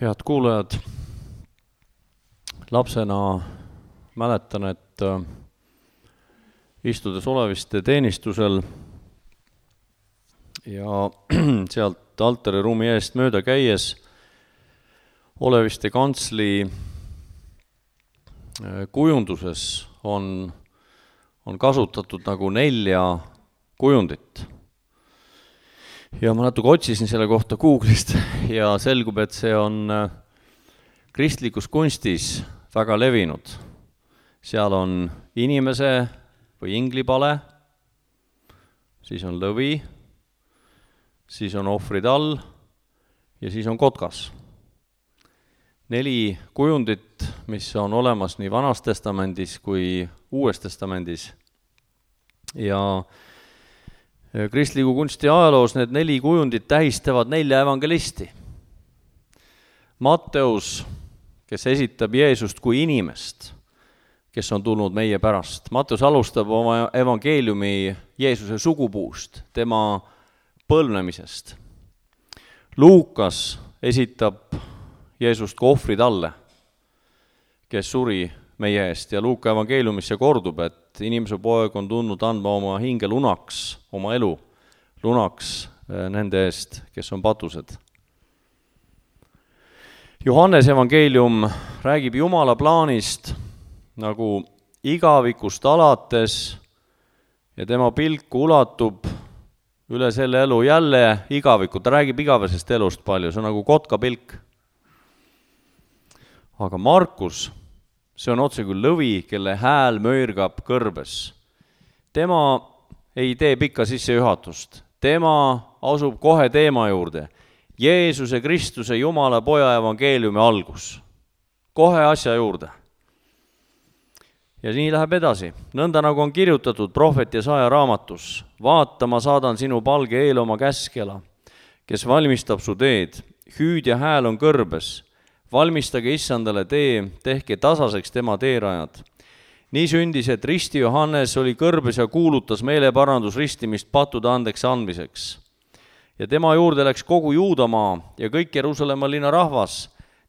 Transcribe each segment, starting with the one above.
Head kuulajad, lapsena mäletan, et istudes Oleviste teenistusel ja sealt altariruumi eest mööda käies Oleviste kantsli kujunduses on kasutatud nagu 4 kujundit. Ja ma natuke otsisin selle kohta Google'ist ja selgub, et see on kristlikus kunstis väga levinud. Seal on inimese või inglipale, siis on lõvi, siis on ohvritall ja siis on kotkas. 4 kujundit, mis on olemas nii Vanas Testamendis kui Uues Testamendis. Ja kristliku kunsti ajaloos need 4 kujundit tähistavad 4 evangelisti. Matteus, kes esitab Jeesust kui inimest, kes on tulnud meie pärast. Matteus alustab oma evangeeliumi Jeesuse sugupuust, tema põlvnemisest. Luukas esitab Jeesust kui ohvritalle, kes suri meie eest, ja Luuka evangeeliumis see kordub, et inimese poeg on tulnud andma oma hinge lunaks, oma elu lunaks nende eest, kes on patused. Johannes evangeelium räägib Jumala plaanist nagu igavikust alates ja tema pilku ulatub üle selle elu jälle igavikku. Ta räägib igavesest elust palju, see on nagu kotka pilk. Aga Markus, see on otse kui lõvi, kelle hääl möirgab kõrbes. Tema ei tee pikka sissejuhatust. Tema asub kohe teema juurde. Jeesuse Kristuse Jumala poja evangeeliumi algus. Kohe asja juurde. Ja nii läheb edasi. Nõnda nagu on kirjutatud prohvet Jesaja raamatus. Vaata, ma saadan sinu palge eel oma käskela, kes valmistab su teed. Hüüdja hääl on kõrbes. Valmistage issandale tee, tehke tasaseks tema teerajad. Nii sündis, et risti Johannes oli kõrbes ja kuulutas meeleparandusristimist pattude andeks andmiseks. Ja tema juurde läks kogu Juudamaa ja kõik Jeruusalemma linna rahvas,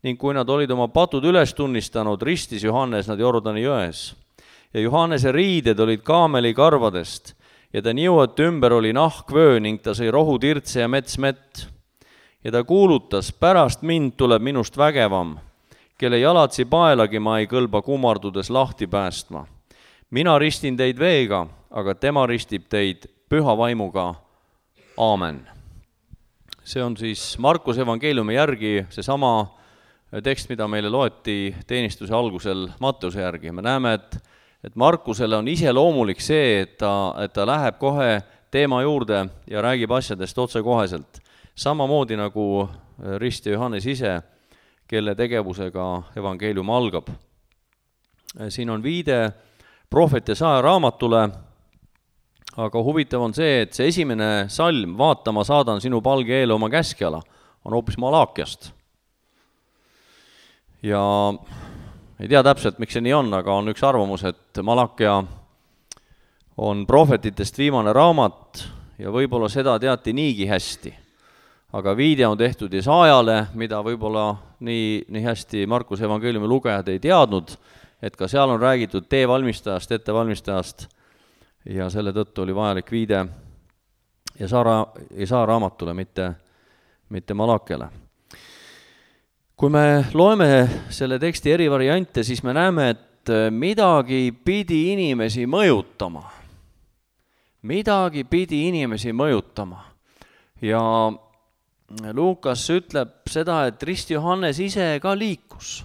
ning kui nad olid oma patud üles tunnistanud, ristis Johannes nad Jordani jões. Ja Johannese riided olid kaamelikarvadest ja ta niuete ümber oli nahkvöö ning ta sõi rohutirtse ja metsmett. Ja ta kuulutas, pärast mind tuleb minust vägevam, kelle jalatsi paelagi ma ei kõlba kummardudes lahti päästma. Mina ristin teid veega, aga tema ristib teid püha vaimuga. Aamen. See on siis Markuse evangeeliumi järgi seesama tekst, mida meile loeti teenistuse algusel Matteuse järgi. Me näeme, et Markusele on iseloomulik see, et ta läheb kohe teema juurde ja räägib asjadest otsekoheselt. Samamoodi nagu ristja Johannes ise, kelle tegevusega evangeelium algab. Siin on viide prohvet Jesaja raamatule, aga huvitav on see, et see esimene salm, vaata, ma saadan sinu palge eele oma käskjala, on hoopis Malakiast. Ja ei tea täpselt, miks see nii on, aga on üks arvamus, et Malakia on prohvetitest viimane raamat ja võib-olla seda teati niigi hästi. Aga viide on tehtud Jesajale, mida võib-olla nii hästi Markuse evangeeliumi lugejad ei teadnud, et ka seal on räägitud teevalmistajast, ettevalmistajast ja selle tõttu oli vajalik viide Jesaja raamatule, mitte Malakiale. Kui me loeme selle teksti eri variante, siis me näeme, et midagi pidi inimesi mõjutama. Midagi pidi inimesi mõjutama. Ja Luukas ütleb seda, et risti Johannes ise ka liikus.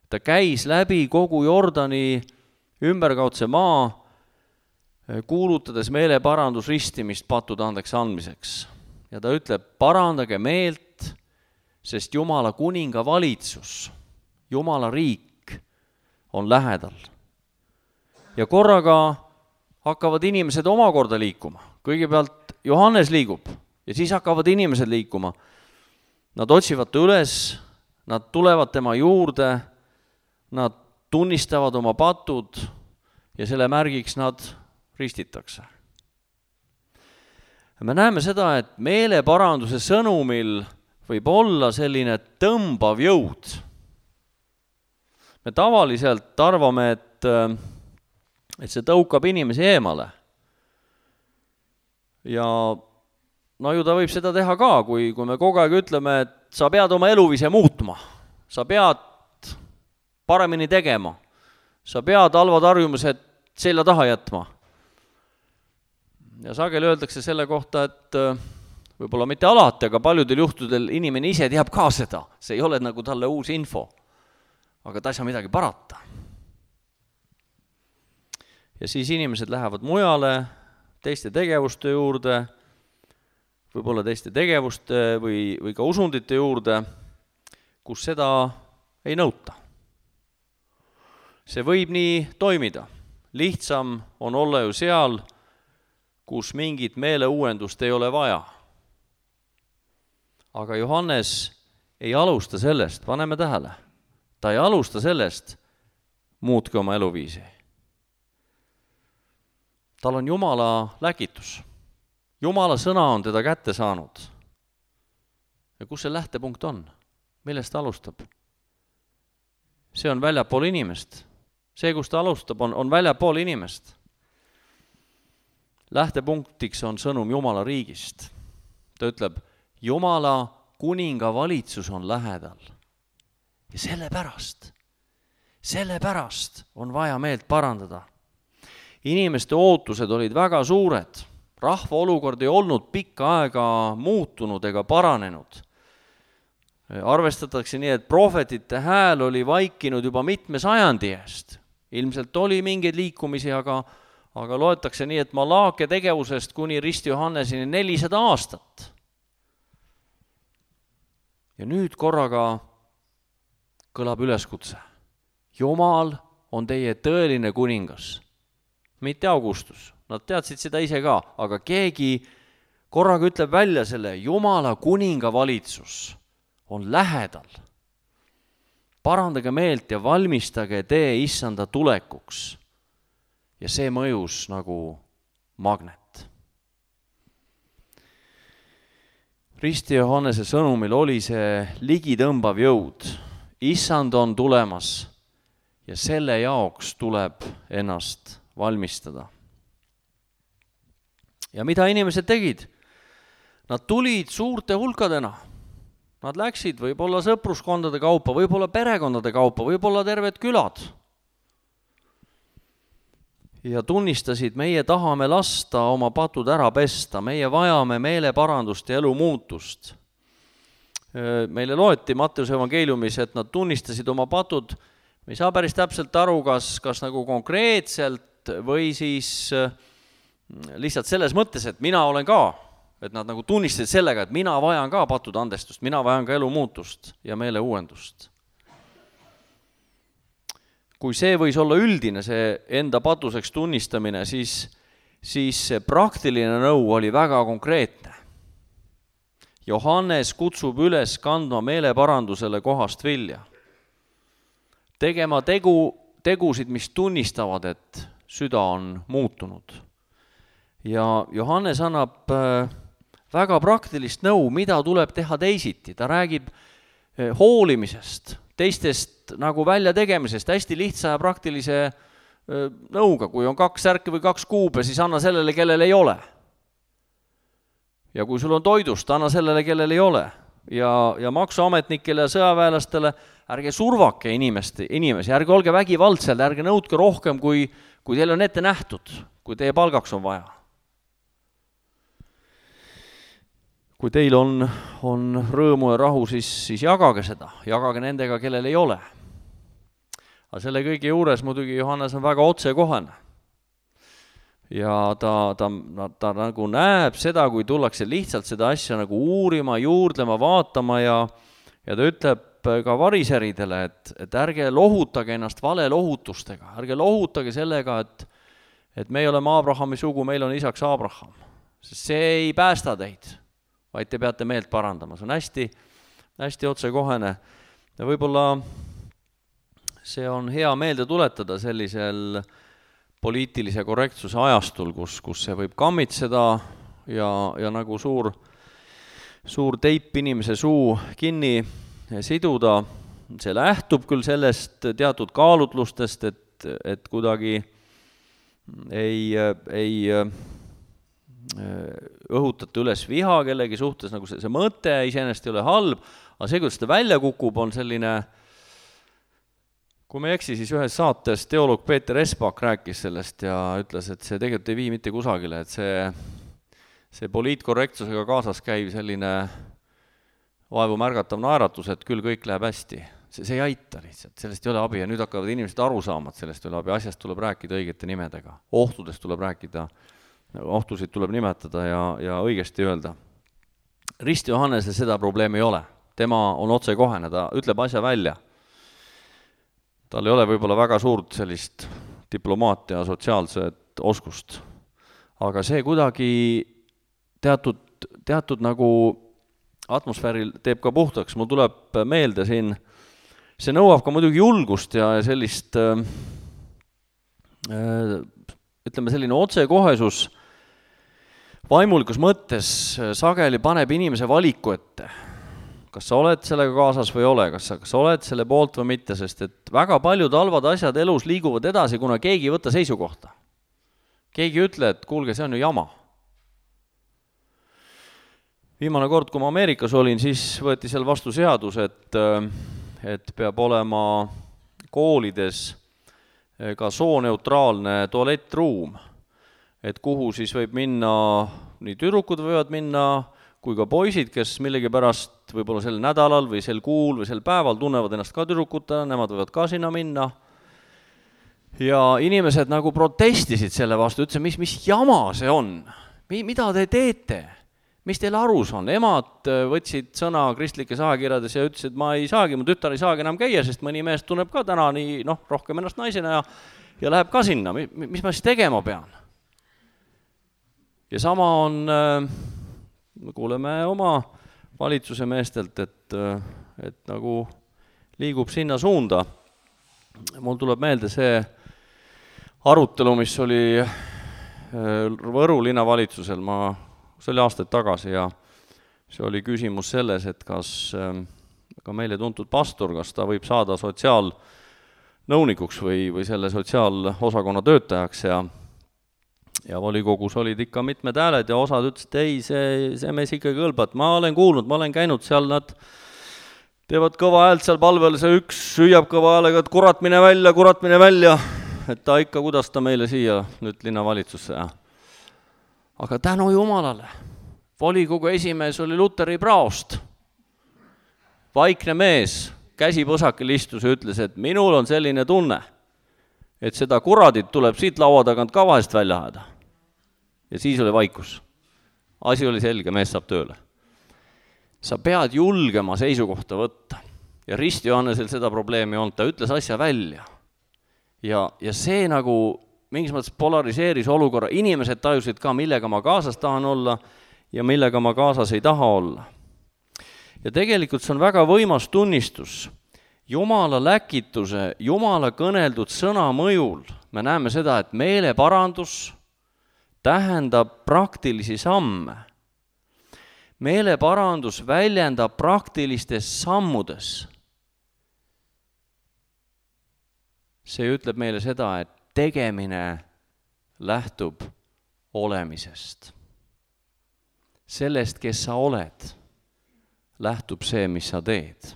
Ta käis läbi kogu Jordani ümberkaudse maa, kuulutades meeleparandusristimist pattude andeks andmiseks. Ja ta ütleb, parandage meelt, sest Jumala kuninga valitsus, Jumala riik on lähedal. Ja korraga hakkavad inimesed omakorda liikuma. Kõigepealt Johannes liigub. Ja siis hakkavad inimesed liikuma. Nad otsivad üles, nad tulevad tema juurde, nad tunnistavad oma patud ja selle märgiks nad ristitakse. Me näeme seda, et meeleparanduse sõnumil võib olla selline tõmbav jõud. Me tavaliselt arvame, et see tõukab inimesi eemale. Ja no ju ta võib seda teha ka, kui me kogu aeg ütleme, et sa pead oma eluviise muutma, sa pead paremini tegema, sa pead halvad harjumused selja taha jätma. Ja sageli öeldakse selle kohta, et võib-olla mitte alati, aga paljudel juhtudel inimene ise teab ka seda. See ei ole nagu talle uus info, aga ta ei saa midagi parata. Ja siis inimesed lähevad mujale, teiste tegevuste juurde, võib-olla teiste tegevuste või ka usundite juurde, kus seda ei nõuta. See võib nii toimida. Lihtsam on olla ju seal, kus mingit meeleuuendust ei ole vaja. Aga Johannes ei alusta sellest, paneme tähele. Ta ei alusta sellest, muutke oma eluviisi. Tal on Jumala läkitus. Jumala sõna on teda kätte saanud. Ja kus see lähtepunkt on? Millest ta alustab? See on väljapool inimest. See, kus ta alustab, on väljapool inimest. Lähtepunktiks on sõnum Jumala riigist. Ta ütleb, Jumala kuninga valitsus on lähedal. Ja sellepärast on vaja meelt parandada. Inimeste ootused olid väga suured. Rahva olukord ei olnud pikka aega muutunud ega paranenud. Arvestatakse nii, et prohvetite hääl oli vaikinud juba mitme sajandi eest. Ilmselt oli mingeid liikumisi, aga loetakse nii, et Malaake tegevusest kuni Risti Johannesini 400 aastat. Ja nüüd korraga kõlab üleskutse. Jumal on teie tõeline kuningas. Mitte Augustus. Nad teadsid seda ise ka, aga keegi korraga ütleb välja selle Jumala kuninga valitsus on lähedal. Parandage meelt ja valmistage tee issanda tulekuks. Ja see mõjus nagu magnet. Risti Johannese sõnumil oli see ligitõmbav jõud. Issand on tulemas ja selle jaoks tuleb ennast valmistada. Ja mida inimesed tegid? Nad tulid suurte hulkadena. Nad läksid võib-olla sõpruskondade kaupa, võib-olla perekondade kaupa, võib-olla terved külad. Ja tunnistasid, meie tahame lasta oma patud ära pesta, meie vajame meeleparandust ja elu muutust. Meile loeti Matteuse evangeeliumis, et nad tunnistasid oma patud, me ei saa päris täpselt aru, kas nagu konkreetselt või siis lihtsalt selles mõttes, et mina olen ka, et nad nagu tunnistasid sellega, et mina vajan ka patud andestust, mina vajan ka elu muutust ja meele uuendust. Kui see võis olla üldine, see enda patuseks tunnistamine, siis see praktiline nõu oli väga konkreetne. Johannes kutsub üles kandma meeleparandusele kohast vilja. Tegema tegusid, mis tunnistavad, et süda on muutunud. Ja Johannes annab väga praktilist nõu, mida tuleb teha teisiti. Ta räägib hoolimisest, teistest nagu välja tegemisest, hästi lihtsa ja praktilise nõuga. Kui on 2 särki või 2 kuube, siis anna sellele, kellel ei ole. Ja kui sul on toidust, anna sellele, kellel ei ole. Ja maksuametnikele ja sõjaväelastele ärge survake inimesi, ärge olge vägivaldsel, ärge nõudke rohkem, kui teil on ette nähtud, kui teie palgaks on vaja. Kui teil on rõõmu ja rahu, siis jagage seda, jagage nendega, kellel ei ole. Aga selle kõige juures muidugi Johannes on väga otsekohane. Ja ta nagu näeb seda, kui tullakse lihtsalt seda asja nagu uurima, juurdlema, vaatama ja ta ütleb ka variseridele, et ärge lohutage ennast valelohutustega, ärge lohutage sellega, et me oleme Abrahami sugu, meil on isaks Abraham. Sest see ei päästa teid, vaid te peate meelt parandama. See on hästi otsekohene. Ja võib-olla see on hea meelde tuletada sellisel poliitilise korrektsuse ajastul, kus see võib kammitseda ja nagu suur teip inimese suu kinni siduda, see lähtub küll sellest teatud kaalutlustest, et kuidagi ei õhutate üles viha kellegi suhtes, nagu see mõte iseenesest ei ole halb, aga see, kuidas ta välja kukub, on selline, kui me ei eksi, siis ühes saates teoloog Peeter Espak rääkis sellest ja ütles, et see tegelikult ei vii mitte kusagile, et see poliitkorrektsusega kaasas käiv selline vaevu märgatav naeratus, et küll kõik läheb hästi. See ei aita lihtsalt, sellest ei ole abi ja nüüd hakkavad inimesed aru saama, et sellest ei ole abi, asjast tuleb rääkida õigete nimedega, ohtudest tuleb rääkida, ohtusid tuleb nimetada ja õigesti öelda. Rist Johannesel seda probleemi ei ole, tema on otsekohene, ta ütleb asja välja. Tal ei ole võib-olla väga suurt sellist diplomaatia sotsiaalset oskust, aga see kuidagi teatud nagu atmosfääril teeb ka puhtaks. Mul tuleb meelde siin, see nõuab ka muidugi julgust ja sellist, ütleme selline otsekohesus vaimulikus mõttes sageli paneb inimese valiku ette. Kas sa oled sellega kaasas või ole, kas sa oled selle poolt või mitte, sest et väga paljud halvad asjad elus liiguvad edasi, kuna keegi ei võta seisukohta. Keegi ütle, et kuulge, see on ju jama. Viimane kord, kui ma Ameerikas olin, siis võeti seal vastu seadus, et peab olema koolides ka sooneutraalne tualettruum, et kuhu siis võib minna, nii tüdrukud võivad minna, kui ka poisid, kes millegipärast võib-olla sel nädalal või sel kuul või sel päeval tunnevad ennast ka tüdrukutena, nemad võivad ka sinna minna. Ja inimesed nagu protestisid selle vastu, ütlesid, mis jama see on, mida te teete? Mis teil arus on? Emad võtsid sõna kristlikes ajakirjades ja ütlesid, ma ei saagi, mu tütar ei saagi enam käia, sest mõni mees tunneb ka täna nii, rohkem ennast naisena ja läheb ka sinna. Mis ma siis tegema pean? Ja sama on, me kuuleme oma valitsuse meestelt, et nagu liigub sinna suunda. Mul tuleb meelde see arutelu, mis oli Võru linnavalitsusel, see oli aastaid tagasi ja see oli küsimus selles, et kas ka meile tuntud pastor, kas ta võib saada sotsiaalnõunikuks või selle sotsiaalosakonna töötajaks ja volikogus olid ikka mitmed hääled ja osad ütlesid, et ei, see mees ikka kõlbab, ma olen kuulnud, ma olen käinud seal, nad teevad kõva häält seal palvel, see üks süüab kõva häälega, et kurat mine välja, et ta ikka, kuidas ta meile siia nüüd linnavalitsusse Aga tänu Jumalale, volikogu esimees oli Luteri praost. Vaikne mees, käsi põsakil istus ja ütles, et minul on selline tunne, et seda kuradit tuleb siit laua tagant ka vahest välja ajada. Ja siis oli vaikus. Asi oli selge, mees saab tööle. Sa pead julgema seisukohta võtta. Ja Rist Johannesel seda probleemi on, ta ütles asja välja. Ja see nagu mingis mõttes polariseeris olukorra, inimesed tajusid ka, millega ma kaasas tahan olla ja millega ma kaasas ei taha olla. Ja tegelikult see on väga võimas tunnistus. Jumala läkituse, Jumala kõneldud sõna mõjul me näeme seda, et meeleparandus tähendab praktilisi samme. Meeleparandus väljendab praktilistes sammudes. See ütleb meile seda, et tegemine lähtub olemisest. Sellest, kes sa oled, lähtub see, mis sa teed.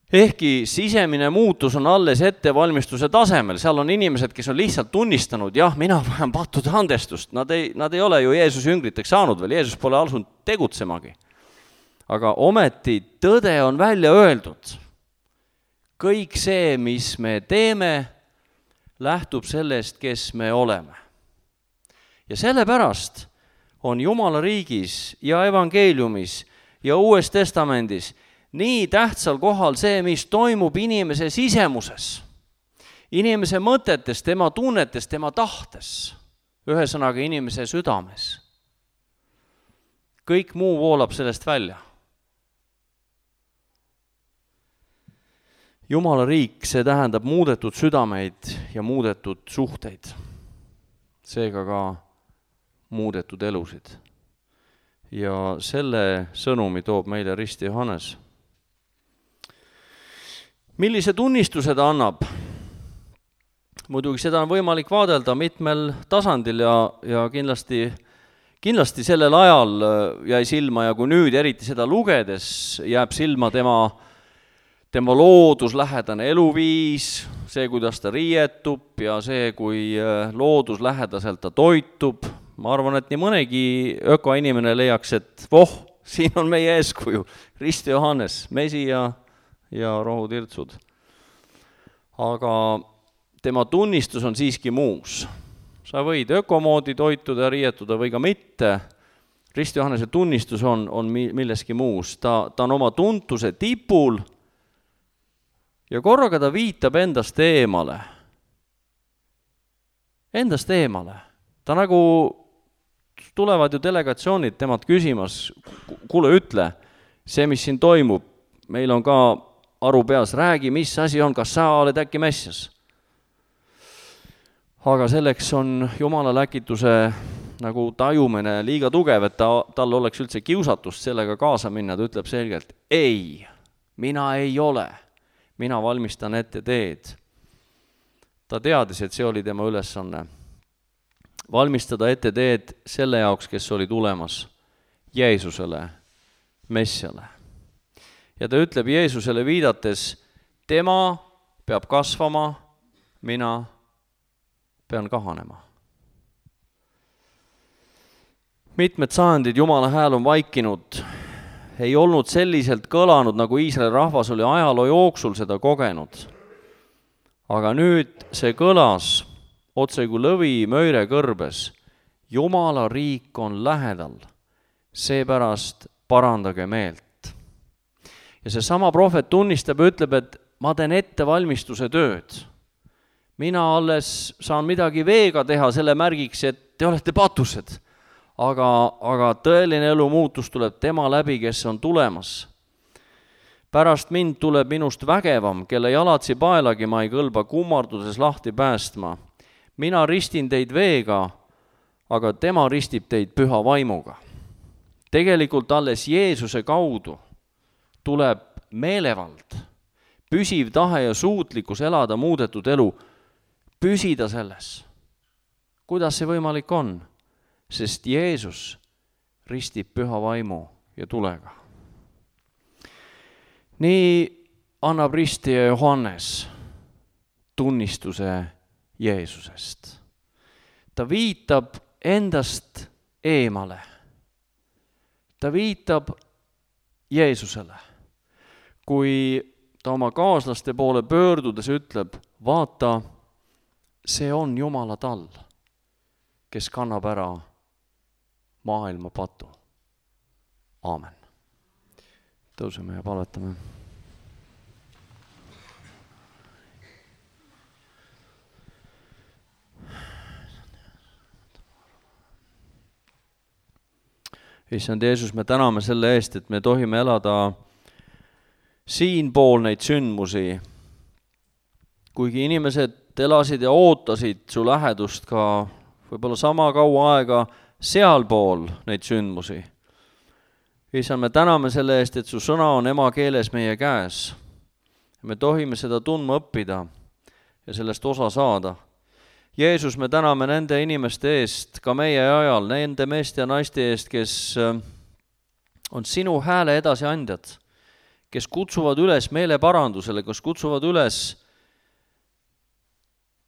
Ehkki sisemine muutus on alles ettevalmistuse tasemel, seal on inimesed, kes on lihtsalt tunnistanud, jah, mina vajan pattude andestust, nad ei ole ju Jeesuse jüngriteks saanud veel, Jeesus pole asunud tegutsemagi. Aga ometi tõde on välja öeldud. Kõik see, mis me teeme, lähtub sellest, kes me oleme. Ja sellepärast on Jumala riigis ja evangeeliumis ja Uues Testamendis nii tähtsal kohal see, mis toimub inimese sisemuses, inimese mõtetes, tema tunnetes, tema tahtes, ühesõnaga inimese südames. Kõik muu voolab sellest välja. Jumala riik, see tähendab muudetud südameid ja muudetud suhteid, seega ka muudetud elusid. ja selle sõnumi toob meile Risti Johannes. Millise tunnistuse ta annab? Muidugi seda on võimalik vaadelda mitmel tasandil ja kindlasti sellel ajal jäi silma ja kui nüüd eriti seda lugedes jääb silma tema looduslähedane eluviis, see, kuidas ta riietub ja see, kui looduslähedaselt ta toitub. Ma arvan, et nii mõnegi ökoinimene leiaks, et siin on meie eeskuju, Risti Johannes, mesi ja rohutirtsud. Aga tema tunnistus on siiski muus. Sa võid ökomoodi toituda ja riietuda või ka mitte. Risti Johannese tunnistus on milleski muus. Ta on oma tuntuse tipul ja korraga ta viitab endast eemale. Endast eemale. Ta nagu tulevad ju delegatsioonid temad küsimas, kuule ütle, see, mis siin toimub, meil on ka aru peas, räägi, mis asi on, kas sa oled äkki Messias? Aga selleks on Jumala läkituse nagu tajumine liiga tugev, et tal oleks üldse kiusatust sellega kaasa minna, ta ütleb selgelt, ei, mina ei ole, mina valmistan ette teed. Ta teadis, et see oli tema ülesanne. Valmistada ette teed selle jaoks, kes oli tulemas Jeesusele, Messiale. Ja ta ütleb Jeesusele viidates, tema peab kasvama, mina pean kahanema. Mitmed sajandid Jumala hääl on vaikinud, ei olnud selliselt kõlanud, nagu Iisraeli rahvas oli ajaloo jooksul seda kogenud. Aga nüüd see kõlas otse kui lõvi möire kõrbes. Jumala riik on lähedal, seepärast parandage meelt. Ja see sama prohvet tunnistab ja ütleb, et ma teen ettevalmistuse tööd. Mina alles saan midagi veega teha selle märgiks, et te olete patused. Aga tõeline elu muutus tuleb tema läbi, kes on tulemas. Pärast mind tuleb minust vägevam, kelle jalatsi paelagi ma ei kõlba kummarduses lahti päästma. Mina ristin teid veega, aga tema ristib teid püha vaimuga. Tegelikult alles Jeesuse kaudu tuleb meelevald, püsiv tahe ja suutlikkus elada muudetud elu, püsida selles. Kuidas see võimalik on? Sest Jeesus ristib püha vaimu ja tulega. Nii annab Risti ja Johannes tunnistuse Jeesusest. Ta viitab endast eemale. Ta viitab Jeesusele. Kui ta oma kaaslaste poole pöördudes ütleb, vaata, see on Jumala tall, kes kannab ära maailma patu. Aamen. Tõuseme ja palvetame. Issand Jeesus, me täname selle eest, et me tohime elada siinpool neid sündmusi. Kuigi inimesed elasid ja ootasid su lähedust ka võib-olla sama kaua aega sealpool neid sündmusi. Issand, me täname selle eest, et su sõna on emakeeles meie käes. Me tohime seda tundma õppida ja sellest osa saada. Jeesus, me täname nende inimeste eest, ka meie ajal, nende meeste ja naiste eest, kes on sinu hääle edasiandjad, kes kutsuvad üles meeleparandusele, kes kutsuvad üles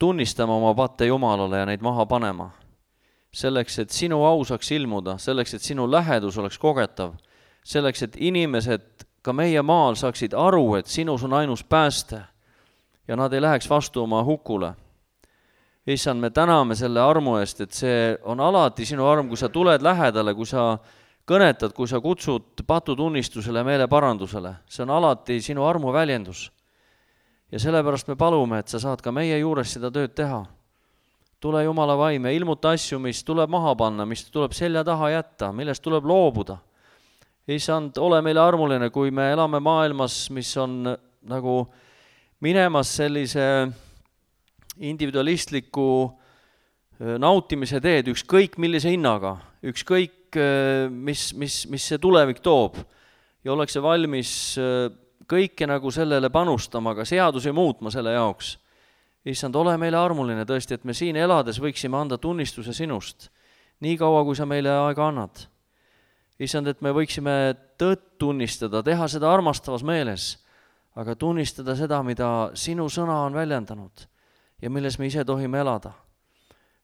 tunnistama oma patte Jumalale ja neid maha panema. Selleks, et sinu au saaks ilmuda, selleks, et sinu lähedus oleks kogetav, selleks, et inimesed ka meie maal saaksid aru, et sinus on ainus pääste ja nad ei läheks vastu oma hukule. Issand, me täname selle armu eest, et see on alati sinu arm, kui sa tuled lähedale, kui sa kõnetad, kui sa kutsud patutunnistusele, meeleparandusele. See on alati sinu armu väljendus. Ja sellepärast me palume, et sa saad ka meie juures seda tööd teha. Tule Jumala vaim ja ilmuta asju, mis tuleb maha panna, mis tuleb selja taha jätta, millest tuleb loobuda. Issand, ole meile armuline, kui me elame maailmas, mis on nagu minemas sellise individualistliku nautimise teed, ükskõik millise hinnaga, ükskõik kõik, mis see tulevik toob ja ollakse valmis kõike nagu sellele panustama, ka seadusi muutma selle jaoks. Issand, ole meile armuline tõesti, et me siin elades võiksime anda tunnistuse sinust, nii kaua, kui sa meile aega annad. Issand, et me võiksime tõtt tunnistada, teha seda armastavas meeles, aga tunnistada seda, mida sinu sõna on väljendanud ja milles me ise tohime elada.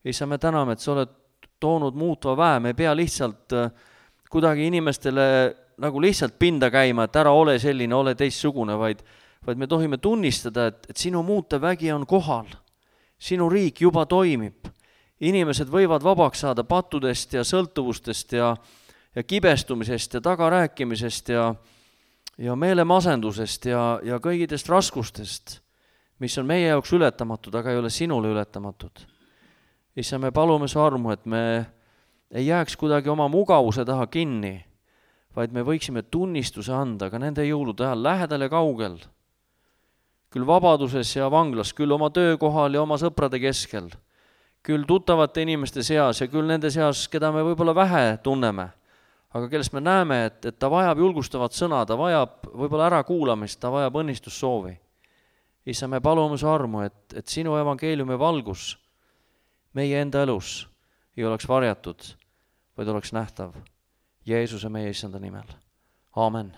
Issand, me täname, et sa oled toonud muutva väe, me ei pea lihtsalt kuidagi inimestele nagu lihtsalt pinda käima, et ära ole selline, ole teistsugune, vaid me tohime tunnistada, et sinu muutev vägi on kohal. Sinu riik juba toimib. Inimesed võivad vabaks saada pattudest ja sõltuvustest ja kibestumisest ja tagarääkimisest ja meelemasendusest ja kõigidest raskustest, mis on meie jaoks ületamatud, aga ei ole sinule ületamatud. Issa, me palume su armu, et me ei jääks kuidagi oma mugavuse taha kinni, vaid me võiksime tunnistuse anda ka nende jõulude ajal lähedal ja kaugel, küll vabaduses ja vanglas, küll oma töökohal ja oma sõprade keskel, küll tuttavate inimeste seas ja küll nende seas, keda me võib-olla vähe tunneme, aga kellest me näeme, et ta vajab julgustavat sõna, ta vajab võib-olla ärakuulamist, ta vajab õnnistussoovi. Issa, me palume su armu, et sinu evangeeliumi valgus meie enda elus ei oleks varjatud, vaid oleks nähtav Jeesuse meie issanda nimel. Aamen.